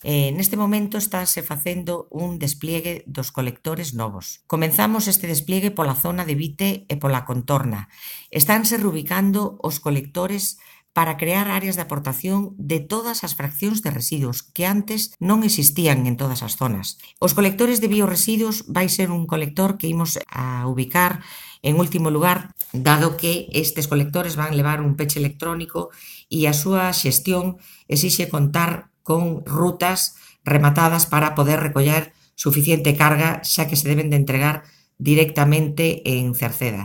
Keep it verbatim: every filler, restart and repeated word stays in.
Eh, neste momento estánse facendo un despliegue dos colectores novos. Comenzamos este despliegue pola zona de Vite e pola contorna. Estánse reubicando os colectores para crear áreas de aportación de todas as fraccións de residuos que antes non existían en todas as zonas. Os colectores de bioresiduos vai ser un colector que imos a ubicar en último lugar, dado que estes colectores van levar un peche electrónico e a súa xestión exixe contar con rutas rematadas para poder recoller suficiente carga, xa que se deben de entregar directamente en Cerceda.